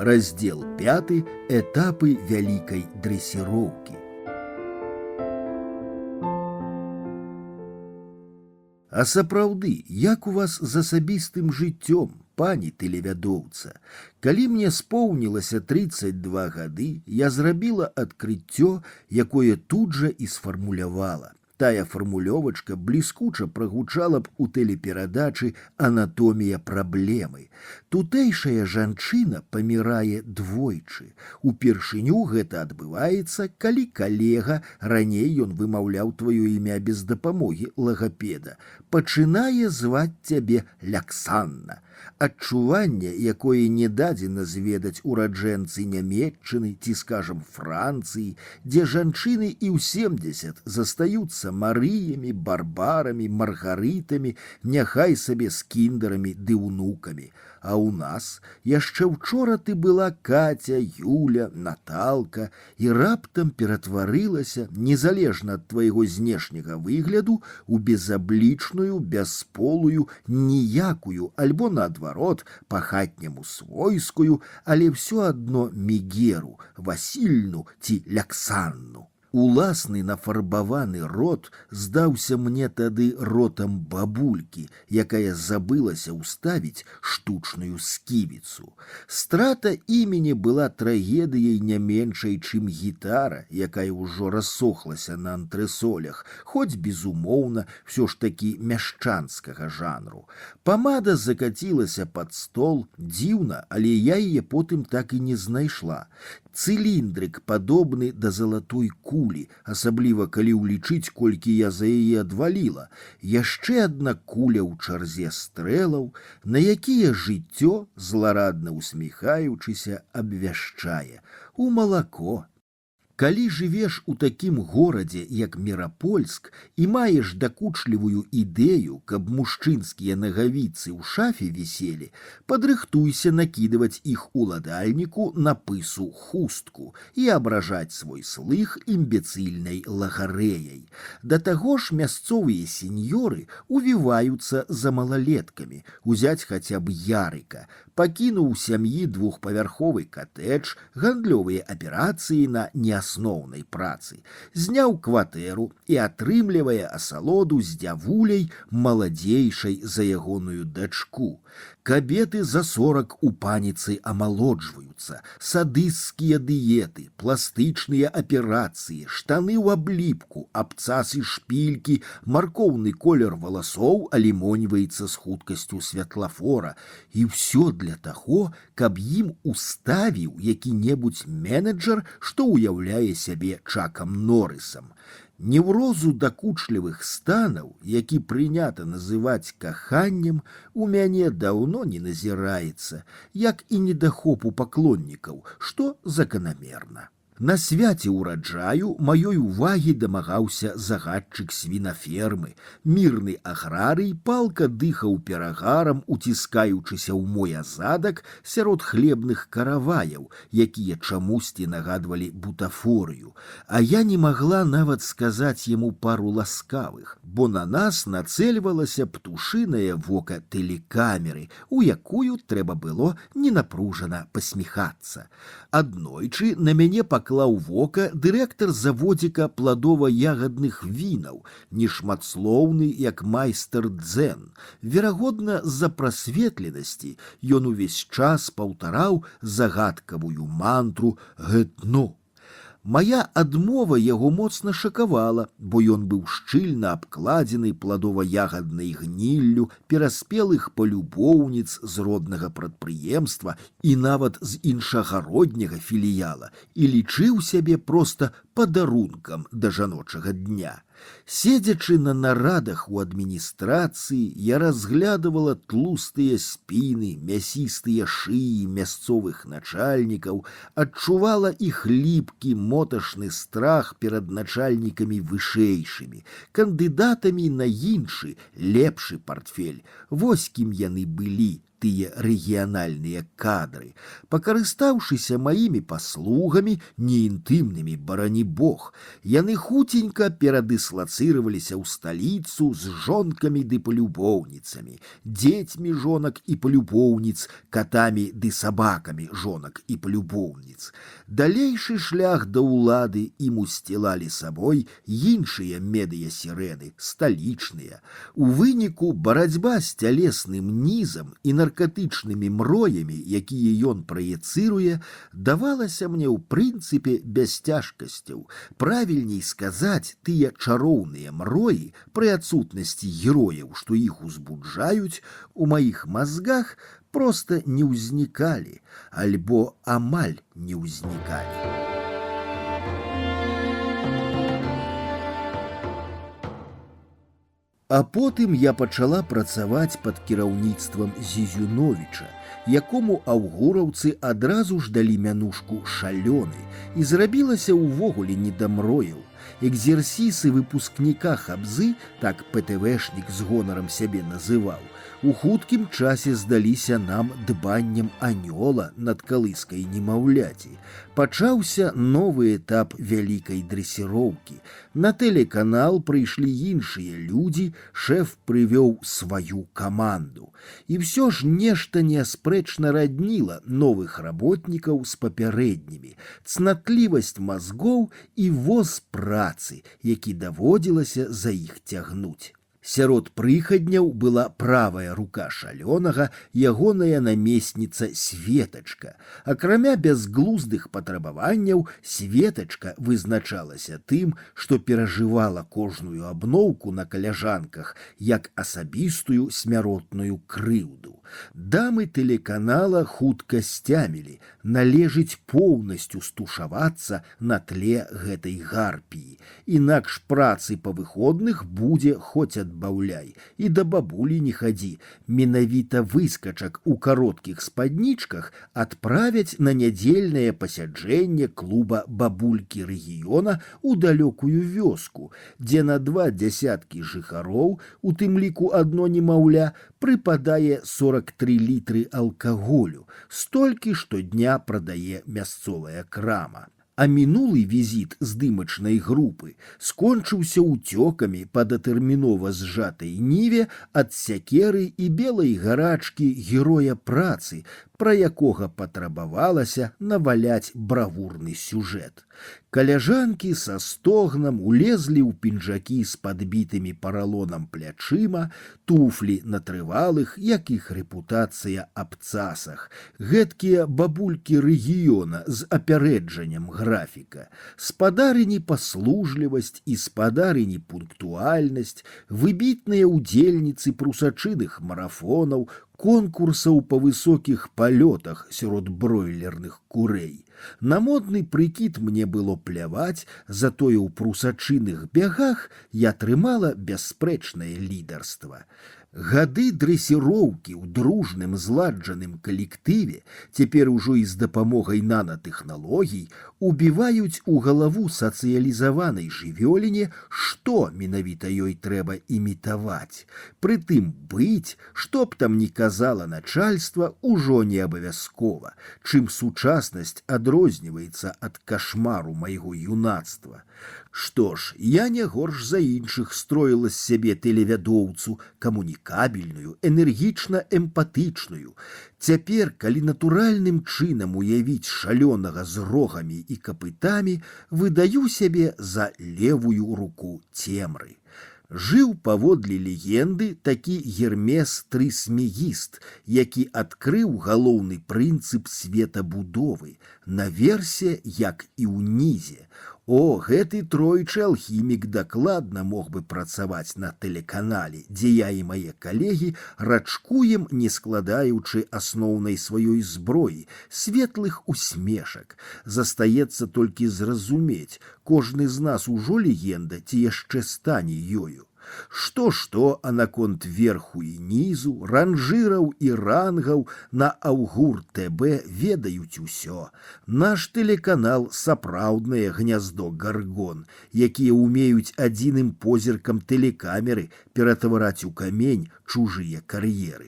Раздел 5. Этапы вялікай дрэсіроўкі. А сапраўды, як у вас з асабістым жыццём, пані тэлевядоўца? Калі мне споўнілася 32 гады, я зрабіла адкрыццё, якое тут жа і сфармулявала. Тая фармулёвачка бліскуча прагучала б у тэлеперадачы «Анатомія праблемы». Тутэйшая жанчына памірае двойчы. Упершыню гэта адбываецца, калі калега, раней ён вымаўляў тваё імя без дапамогі лагапеда, пачынае зваць цябе Ляксанна. Адчуванне, якое не дадзена зведаць ураджэнцы Нямецчыны ці, скажам, Францыі, дзе жанчыны і ў 70 застаюцца Марыямі, Барбарамі, Маргарытамі, няхай сабе з кіндарамі ды ўнукамі. А ў нас яшчэ учора ты была Катя, Юля, Наталка і раптам ператварылася, незалежна ад твайго знешняга выгляду, у безаблічную, бясполую, ніякую, альбо наадварот, па-хатняму свойскую, але ўсё адно Мігеру, Васільну ці Ляксанну. Уласны нафарбаваны рот здаўся мне тады ротам бабулькі, якая забылася ўставіць штучную сківіцу. Страта імені была трагедыяй не меншай, чым гітара, якая ўжо рассохлася на антрэсолях, хоць, безумоўна, всё ж такі мяшчанскага жанру. Памада закацілася пад стол, дзіўна, але я яе потым так і не знайшла. Цыліндрык падобны да залатой кулі, асабліва калі ўлічыць, колькі я за яе адваліла. Яшчэ адна куля ў чарзе стрэлаў, на якія жыццё, зларадна усміхаючыся, абвяшчае: у малако. Калі жывеш у такім горадзе, як Мірапольск, і маеш дакучлівую ідэю, каб мужчынскія нагавіцы ў шафе віселі, падрыхтуйся накідываць іх уладальніку на пысу хустку і абражаць свой слых імбецыльнай лагарэяй. Да таго ж мясцовыя сеньоры увіваюцца за малалеткамі, узяць хаця б Ярыка, пакінуў сям'і двухпавярховы катэдж, гандлёвыя аперацыі на неасноўнай працы, зняў кватэру і атрымлівае асалоду з дзявуляй, маладзейшай за ягоную дачку. Кабеты за 40 у паніцы амалоджваюцца, садысцкія дыеты, пластычныя аперацыі, штаны ў абліпку, абцасы шпількі, маркоўны колер валасоў алімоньваецца з хуткасцю святлафора. І ўсё для таго, каб ім уставіў які-небудзь менеджер, што ўяўляе сябе Чакам Норрысам. Неўрозу дакучлівых станаў, які прынята называць каханнем, у мяне даўно не назіраецца, як і недахопу паклоннікаў, што заканамерна. На свяце ўраджаю маёй увагі дамагаўся загадчык свінафермы. Мірны аграрый палка дыхаў перагарам, уціскаючыся ў мой азадак сярод хлебных караваяў, якія чамусьці нагадвалі бутафорыю. А я не магла нават сказаць яму пару ласкавых, бо на нас нацэльвалася птушынае вока тэлекамеры, у якую трэба было ненапружана пасміхацца. Аднойчы на мяне паклаў вока дырэктар заводзіка пладова-ягадных вінаў, нешматслоўны, як майстар дзен. Верагодна, з-за прасветленасці ён увесь час паўтараў загадкавую мантру «гэтно». Мая адмова яго моцна шакавала, бо ён быў шчыльна абкладзены пладова-ягаднай гніллю пераспелых палюбоўніц з роднага прадпрыемства і нават з іншагародняга філіяла, і лічыў сябе проста падарункам да жаночага дня. Седзячы на нарадах у адміністрацыі, я разглядывала тлустыя спіны, мясістыя шыі мясцовых начальнікаў, адчувала іх ліпкі моташны страх перад начальнікамі вышэйшымі, кандыдатамі на іншы, лепшы партфель. Вось кім яны былі, тыя рэгіянальныя кадры. Пакарыстаўшыся маімі паслугамі, не інтымнымі, барані бог, яны хуценька перадыслацыраваліся ў сталіцу з жонкамі ды палюбоўніцамі, дзецьмі жонак і палюбоўніц, катамі ды сабакамі жонак і палюбоўніц. Далейшы шлях да ўлады ім усцілалі сабой іншыя медыясірэны, сталічныя. У выніку барацьба з цялесным нізам і наркатычнымі мроямі, якія ён праецыруе, давалася мне ў прынцыпе без цяжкасцяў. Правільней сказаць, тыя чароўныя мроі, пры адсутнасці герояў, што іх узбуджаюць, у маіх мазгах проста не ўзнікалі, альбо амаль не ўзнікалі. А потым я пачала працаваць пад кіраўніцтвам Зізюновіча, якому аўгураўцы адразу ж далі мянушку шалёны, і зрабілася ўвогуле не да мрояў. Экзерсісы выпускніка Хабзы, так ПТВшнік з гонарам сябе называў, у хуткім часе здаліся нам дбаннем анёла над калыскай немаўляці. Пачаўся новы этап вялікай дрэсіроўкі. На тэлеканал прыйшлі іншыя людзі, шэф прывёў сваю каманду. І ўсё ж нешта неаспрэчна радніла новых работнікаў з папярэднімі, цнатлівасць мазгоў і воз працы, які даводзілася за іх цягнуць. Сярод прыхадняў была правая рука шалёнага, ягоная намесніца Светачка. Акрамя бязглуздых патрабаванняў, Светачка вызначалася тым, што перажывала кожную абноўку на каляжанках як асабістую смяротную крыўду. Дамы тэлеканала хутка сцямілі, належыць поўнасцю стушавацца на тле гэтай гарпіі. Інакш працы па выходных будзе хоць адбаўляй, і да бабулі не хадзі. Менавіта выскачак у кароткіх спаднічках адправяць на нядзельнае пасяджэнне клуба бабулькі рэгіёна ў далёкую вёску, дзе на 20 жыхароў, у тым ліку адно немаўля, прыпадае 43 літры алкаголю, столькі штодня прадае мясцовая крама. А мінулы візіт здымачнай групы скончыўся ўцёкамі па датэрмінова зжатай ніве ад сякеры і белай гарачкі героя працы, пра якога патрабавалася наваляць бравурны сюжэт. Каляжанкі са стогнам улезлі ў пінжакі з падбітымі паралонам плячыма, туфлі на трывалых, як іх рэпутацыя, абцасах. Гэткія бабулькі рэгіёна з апярэджаннем графіка. Спадарыні паслужлівасць і спадарыні пунктуальнасць, выбітныя ўдзельніцы прусачыных марафонаў, конкурсаў па высокіх палётах сярод бройлерных курэй. На модны прыкід мне было пляваць, затое ў прусачыных бягах я трымала бясспрэчнае лідарства. Гады дрэсіроўкі ў дружным зладжаным калектыве, цяпер ужо і з дапамогай нанатэхналогій, убіваюць у галаву сацыялізаванай жывёліне, што менавіта ёй трэба імітаваць. Прытым быць, што б там ні казала начальства, ужо не абавязкова, чым сучаснасць адрозніваецца ад кашмару майго юнацтва. Што ж, я не горш за іншых строіла з сябе тэлевядоўцу, камунікабельную, энергічна-эмпатычную. Цяпер, калі натуральным чынам уявіць шалёнага з рогамі і капытамі, выдаю сябе за левую руку цемры. Жыў паводле легенды такі Гермес Трысмегіст, які адкрыў галоўны прынцып светабудовы, наверсе, як і ўнізе. О, гэты тройчы алхімік дакладна мог бы працаваць на тэлеканале, дзе я і мае калегі рачкуем, не складаючы асноўнай сваёй зброі, светлых усмешак. Застаецца толькі зразумець, кожны з нас ужо легенда ці яшчэ стане ёю. Што, а наконт верху і нізу, ранжыраў і рангаў на Аўгур ТБ ведаюць усё. Наш тэлеканал — сапраўднае гняздо гаргон, якія ўмеюць адзіным позіркам тэлекамеры ператвараць у камень чужыя кар'еры.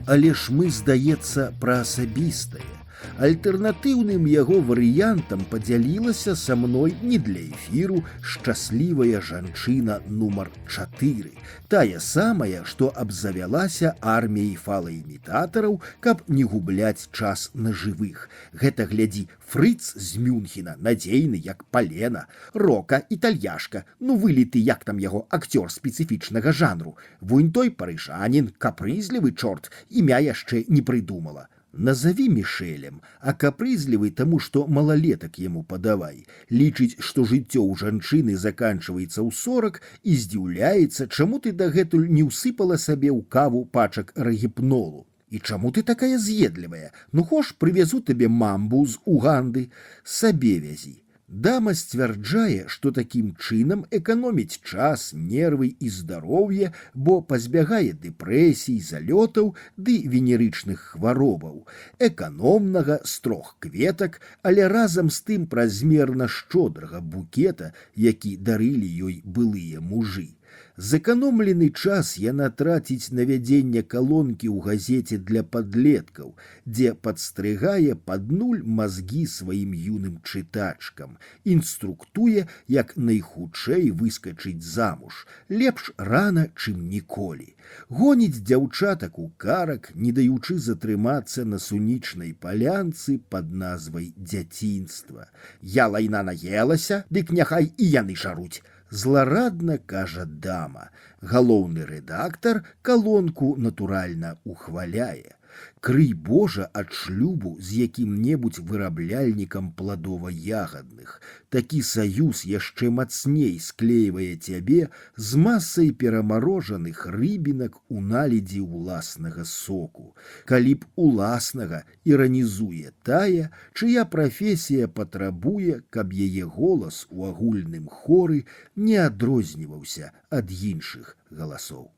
Але ж мы, здаецца, пра асабістае. Альтэрнатыўным яго варыянтам падзялілася са мной не для эфіру шчаслівая жанчына нумар 4, тая самая, што абзавялася арміяй фалаімітатараў, каб не губляць час на жывых. Гэта, глядзі, Фрыц з Мюнхена, надзейны як палена, Рока, італьяшка, ну выліты як там яго акцёр спецыфічнага жанру. Вунь той парыжанін, капрызлівы чорт, імя яшчэ не прыдумала. Назови Мішелем, а капрызлівы таму, што малалетак яму падавай. Лічыць, што жыццё ў жанчыны заканчваецца ў 40 і здзіўляецца, чаму ты дагэтуль не ўсыпала сабе ў каву пачак рагіпнолу. І чаму ты такая з'едлівая? Ну хош, прывязу табе мамбу з Уганды, сабе вязі. Дама сцвярджае, што такім чынам эканоміць час, нервы і здароўе, бо пазбягае дэпрэсій, залётаў ды венерычных хваробаў, эканомнага з 3 кветак, але разам з тым празмерна шчодрага букета, які дарылі ёй былыя мужы. Зэканомлены час яна траціць на вядзенне калонкі ў газеце для падлеткаў, дзе падстрыгае пад нуль мазгі сваім юным чытачкам, інструктуе, як найхутчэй выскачыць замуж, лепш рана, чым ніколі. Гоніць дзяўчатак у карак, не даючы затрымацца на сунічнай палянцы пад назвай дзяцінства. Я лайна наелася, дык няхай і яны жаруць. Зларадна кажа дама. Галоўны рэдактар калонку натуральна ухваляе. Крый Божа ад шлюбу з якім-небудзь вырабляльнікам пладова-ягадных. Такі саюз яшчэ мацней склейвае цябе з масай перамарожаных рыбінак у наледзі ўласнага соку. Калі б уласнага іранізуе тая, чыя прафесія патрабуе, каб яе голас у агульным хоры не адрозніваўся ад іншых галасоў.